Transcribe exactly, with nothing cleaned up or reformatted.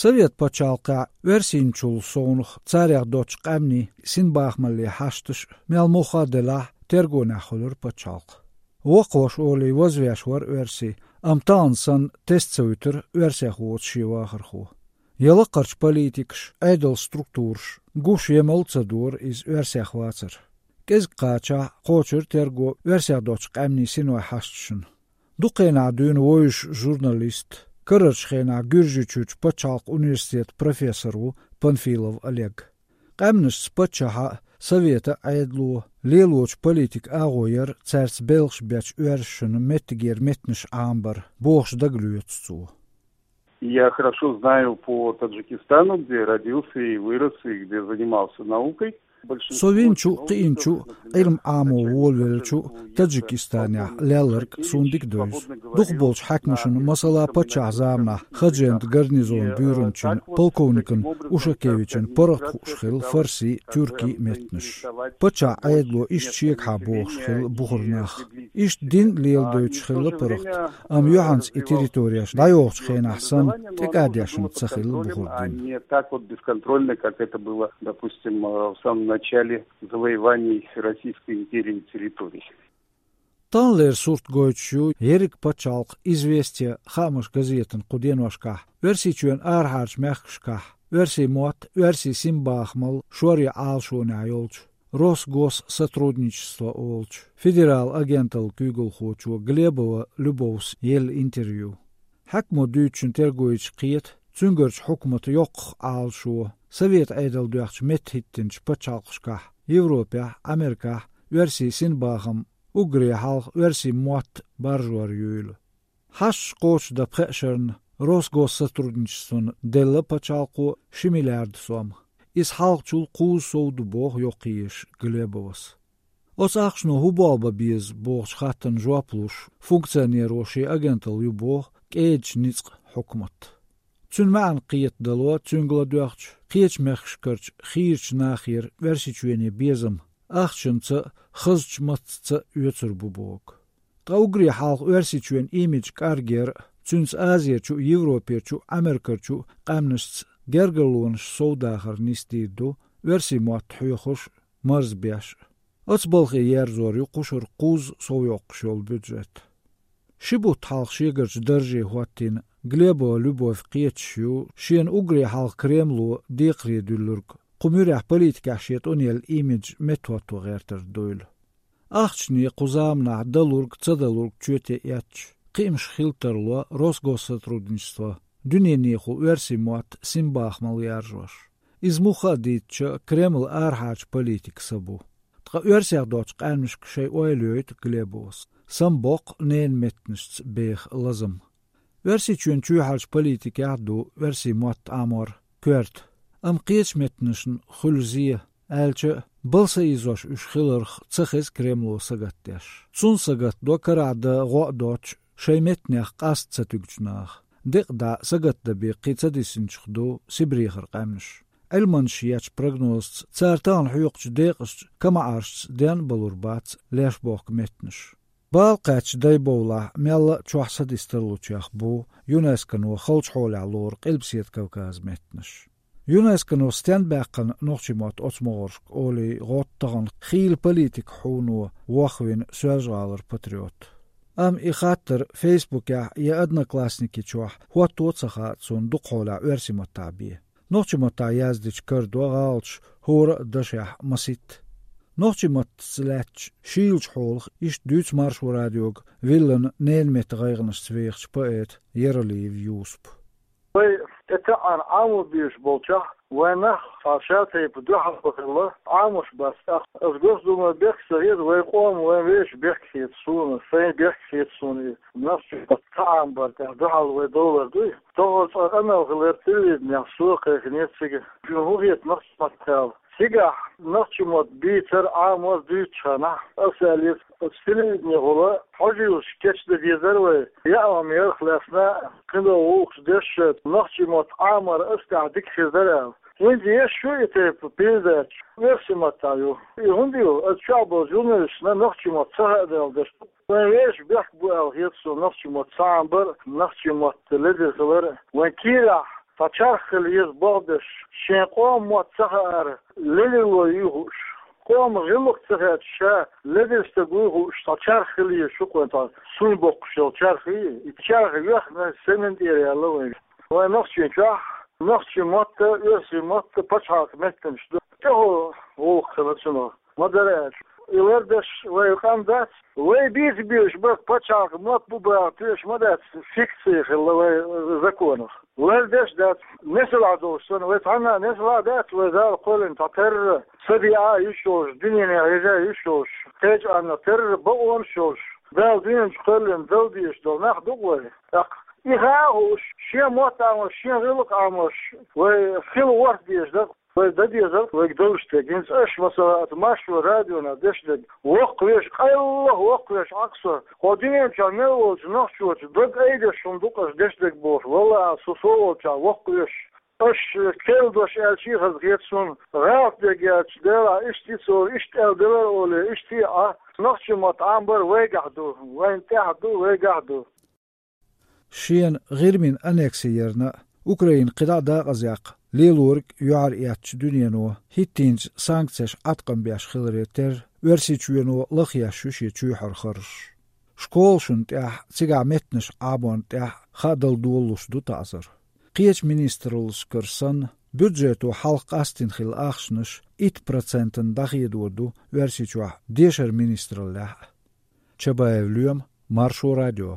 Совет пачхьалкхехь оьрсийчул совнах царех доцчу къаьмнийн синбахамаллин хьашташ мел муха а делахь, тергонехь хуьлура пачхьалкх. Воккхаваш олий вазвеш вара оьрсий, амма тахана санна тесна ца вуьтура оьрсех воцу шен вахархо. Я лакхарчу политикаш, Ӏедал структураш гуш я мала ца дора иза оьрсех вацар. КӀезиг кхачахь кхочура терго оьрсех доцчу къаьмнийн синойн хьашташна. Дукха хенахь дуьйна вевзаш журналист, карарчу хенахь Гуьржийчуьрчу пачхьалкхан университетан профессор ву Панфилов Олег. Къаьмнашца паччахьан а, советан а Ӏедало, лелочу политикан агӀо яра цаьрца белхаш бечу оьрсашна меттигера меттанаш Ӏамабар, бохуш дагалоьцу цо. Я хорошо знаю по Таджикистану, где родился и вырос, и где занимался наукой. Со винчу, кхиинчу, Ӏилма Ӏамо волавеллачу Таджикистанехь лелларг суна дика девза. Дукхахболчу хьаькамашна, масала, паччахьан заманахь Ходжент гарнизон буьйранчин полковникан Ушакевичан паргӀат хууш хилла фарси, тюрки меттанаш. Паччахьан Ӏедало иштта шегахьа бохуш хилла бухара нах. Иштта дин леладойтуш хилла паргӀат, амма юьхьанца и территореш дӀайохучу хенахь санна тӀекӀадешна ца хилла бухара дин. Не так вот бесконтрольно, как это было, допустим, э, в самом начале завоеваний Российской империи территорий. Таханлера сурт гойтуш ю ерриг пачхьалкхан «Известия» хаамаш газетан кху деношкахь Оьрсийчоьнан арахьарчу мехкашкахь оьрсийн мотт, оьрсийн синбахамалла шоръян Ӏалашонехь йолчу Росгоссотрудничество олучу федералан агенталлан куьйгалхочо Глебова Любовс елла интервью. Хьаькамо дуьйцучун терго йича кхета, цуьнгарчу хьукматан йоккхах Ӏалашо, советан Ӏедал доьхначу меттахӀиттинчу пачхьалкхашкахь, Европехь, Америкехь оьрсийн синбахам, уггаре хьалха оьрсийн мотт баржор юйла. Хьашташ кхочушдан пхеа шарна Росгоссотрудничествона делла пачхьалкхо ши миллиард сом. Иза хьалхачул кхузза сов ду, боху йоккхаеш Глебовас. Оцу ахчано хӀун болх бан беза бохучу хаттарна жоп луш, функционеро шен агенталла ю боху кӀедачу ницкъан хьукмат. Цуьнан маьӀна кхетадало цуьнга ладоьгӀча, кхечу мехкашкарчу хийрачу нахера Оьрсийчоьне безам ахчанца а, хазачу маттаца а оьцур бу боху. Ткъа уггаре хьалха Оьрсийчоьнан имидж кӀаргъяр а, цуьнца Азерчу а, Европерчу а, Америкерчу а къаьмнашца гергарлонаш совдахар нисдийр ду, оьрсийн мотт хьоьхуш а, марзбеш а. Оцу балхе ерзор ю кху шарахь кхузза совйоккхуш йолу бюджет. Ши бутт хьалха шегарчу дарже хӀоттийна Глебова Любовь кхеташ ю шена уггаре хьалха Кремло декхаре дуьллург, кху муьрехь политикехь шен тӀунъелла имидж меттахӀотто гӀертар дуйла. Ахчане кху заманахь далург, ца далург чоте эцча, кхиамаш хила тарло Росгоссотрудничество дуьненахула оьрсийн мотт, синбахамалла яржош. Иза муха а дийцча, Кремлан арахьарчу политикан са бу. Ткъа оьрсех доцчу къаьмнашка шайн ойла йойту Глебовас. Самабоккху ненан меттанашца беха лазам. Оьрсийчоьнан чоьхьарчу политикехь а ду оьрсийн мотт Ӏамор коьрта, амма кхечу меттанашна хуьлу зе, аьлча а, бала са ийзош уьш хиларх ца хеза Кремло сагатдеш. Цунна сагатдо карахь дан гӀо а доцуш, шайн меттанех къаста ца туьгучу наха. Декъа дӀа сагатдан бен кхин ца дисинчух ду Сибрехара къаьмнаш. Ӏилманчаша ечу прогнозца, цара тахана хьоькхучу декъашца, камаӀаршца ден а балур бац леш бохку меттанаш. Бала кхаьчча дай бовлахь, мелла а чохь садист тарлучех бу ЮНЕСКОно халчу хьолехь лору Къилбаседа Кавказан меттанаш. ЮНЕСКОно стенна баьккхина нохчийн мотт оцу могӀаршка олий гӀотту тахана хийла политикан хьуно вохвина Соьлжа-ГӀалара патриот. Амма и хаттар Фейсбукехь я Одноклассники чохь хӀотто а ца хаьа цунна дукха хьолехь оьрсийн маттахь бен. Нохчийн маттахь яздича карадо гӀалаташ хӀора а дашехь маситта. Нохчийн маттаца лаьттачу шийлачу хьолах иштта дуьйцу Маршо радиога Виллана ненан меттан гӀайгӀанашца вехачу поэта Яралиев Юсупа. Вай тӀетаьӀӀана Ӏамо безаш болчохь, вайн нах цхьа шатайпа дуьхьал бахилла Ӏамош бац. ТӀаккха аса Госдумера бехк ца хета, вайн къоман, вайн вешан бехк хета суна, сайн бехк хета суна и нохчийн мотт ца Ӏамабар тӀехь дуьхьал вай довлар дуй. Тохара цкъа къамел хилира телевиденехь, со а кхайкхинера цига. Шуна хӀун хета нохчийн маттах аьлла? Цигахь нохчийн мотт бийцар, Ӏамор дуьйцучу хенахь, аса аьллера, оцу телевиденехула хьожийлаш кечдан дезара вай, яа ма-ярх лаьцна, кхидолу гӀуллакхаш деш, нохчийн мотт Ӏамор аса тӀехь дика хир дара аьлла. ХӀинца еш ю и тайпа передача, оьрсийн маттахь ю. И хӀунда ю? Аса чохь болчу журналисташна нохчийн мотт ца хаьа даьлла деш ду. Вайн вешан бехк бу аьлла хета суна нохчийн мотт ца Ӏамабар, нохчийн мотт ледара хилар. Вайн кийрахь Цхьа чарх хила еза боху дерш, шен къоман мотт ца хаар, лелило юй хууш, къоман гӀиллакх ца хеташ, ша ледара стаг вуй хууш, цхьа чарх хила еза шу кхуьнан тхьа, суна боккхуш йолу чарх ю, и чарх йоьхна семин тӀера яьлла вайн. Вайн нохчийн чохь, нохчийн мотт а, оьрсийн мотт а пачхьалкхан меттанаш ду. ТӀехула гӀуллакх хилла цунах. Ма-дарра аьлча, и лардеш вай къам дац, вай бийца безаш бара пачхьалкхан мотт бу баха тоьаш ма дац, фикция хилла вай законах. Лардеш дац, несалахь долуш санна, вай цхьанна а несалахь дац, вай Дала кхоьллина цхьа терра, са диъа а йиш йолуш, дуьненан хьежа а йиш йолуш, кхечу Ӏанна терра бакъонаш йолуш, Дала дуьнен чу кхоьллина дала дезаш долу нах ду-кх вай. ТӀаккха и хаа а хууш, шен мотт Ӏамош, шен гӀиллакх Ӏамош, вай хила ворхӀ дезаш дара. Вай дан дезарг вайга долуш дерг. ХӀинца аша, масала, аса Маршо радионах деш дерг, воккхавеш, къайлаха воккхавеш Ӏа-кх со. Хьо дуьнен чохь мел волчу нохчочун дог айдеш хӀума ду-кх аша деш дерг бохуш, валлахӀи, со со волчохь воккхавеш. Аша керла дош аьлча а хазахета суна, гӀалат дерг аьлча, делахь, иштта цо иштта аьлла делара олий, иштта а, нохчийн мотт Ӏамбар вайгахь ду, вайна тӀехь ду, вайгахь ду. Шена ГӀирмин аннекси ярна а, Украина кхидӀа а дакъазъяккха лелориг а юьхьар эцначу дуьнено хӀиттийначу санкцеш Ӏаткъам беш хиларе терра, Оьрсийчоьно лахъеш ю шен чоьхьара харжаш. Школашна тӀехь, цигахь меттанаш Ӏаморна тӀехь хаа дала долалуш ду таӀзар. Кхечу министраллашкара санна, бюджето хьалха къастийна хилла ахчанаш итт процентана дӀахедор ду Оьрсийчохь дешаран министраллехь а. Чабаев Лоьма, Маршо радио.